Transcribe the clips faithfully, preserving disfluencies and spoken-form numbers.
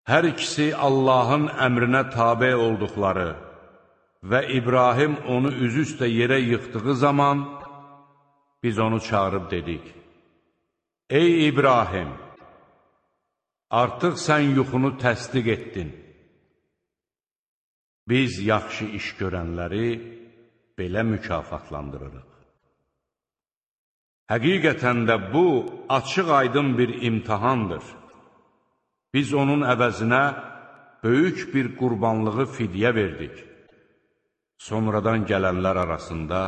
Hər ikisi Allahın əmrinə tabe olduqları və İbrahim onu üzüstə yerə yıxdığı zaman biz onu çağırıb dedik: Ey İbrahim, artıq sən yuxunu təsdiq etdin. Biz yaxşı iş görənləri belə mükafatlandırırıq. Həqiqətən də bu, açıq aydın bir imtihandır. Biz onun əvəzinə böyük bir qurbanlığı fidyə verdik. Sonradan gələnlər arasında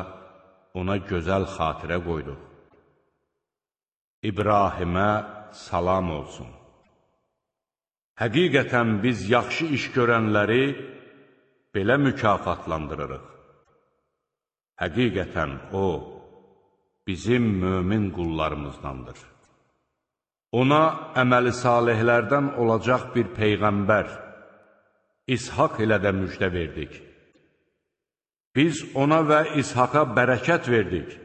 ona gözəl xatirə qoyduq. İbrahimə salam olsun. Həqiqətən biz yaxşı iş görənləri belə mükafatlandırırıq. Həqiqətən o, bizim mömin qullarımızdandır. Ona əməli salihlərdən olacaq bir peyğəmbər, İshaq ilə də müjdə verdik. Biz ona və İshaqa bərəkət verdik.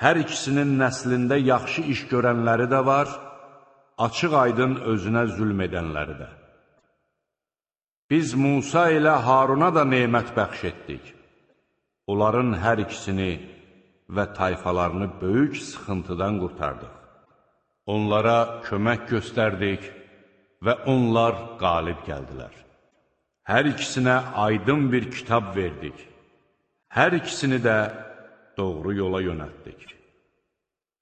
Hər ikisinin nəslində yaxşı iş görənləri də var, açıq aydın özünə zülm edənləri də. Biz Musa ilə Haruna da nemət bəxş etdik. Onların hər ikisini və tayfalarını böyük sıxıntıdan qurtardıq. Onlara kömək göstərdik və onlar qalib gəldilər. Hər ikisinə aydın bir kitab verdik. Hər ikisini də doğru yola yönəltdik.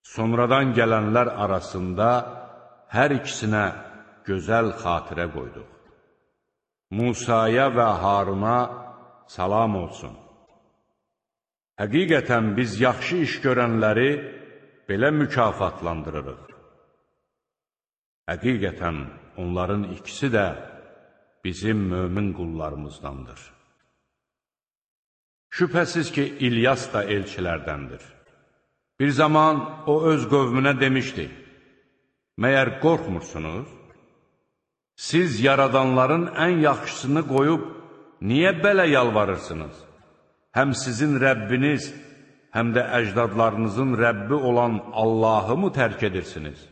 Sonradan gələnlər arasında hər ikisinə gözəl xatirə qoyduq. Musaya və Haruna salam olsun. Həqiqətən biz yaxşı iş görənləri belə mükafatlandırırıq. Həqiqətən onların ikisi də bizim mömin qullarımızdandır. Şübhəsiz ki, İlyas da elçilərdəndir. Bir zaman o öz qövmünə demişdi: Məyər qorxmursunuz? Siz yaradanların ən yaxşısını qoyub, niyə belə yalvarırsınız? Həm sizin Rəbbiniz, həm də əcdadlarınızın Rəbbi olan Allahı mı tərk edirsiniz?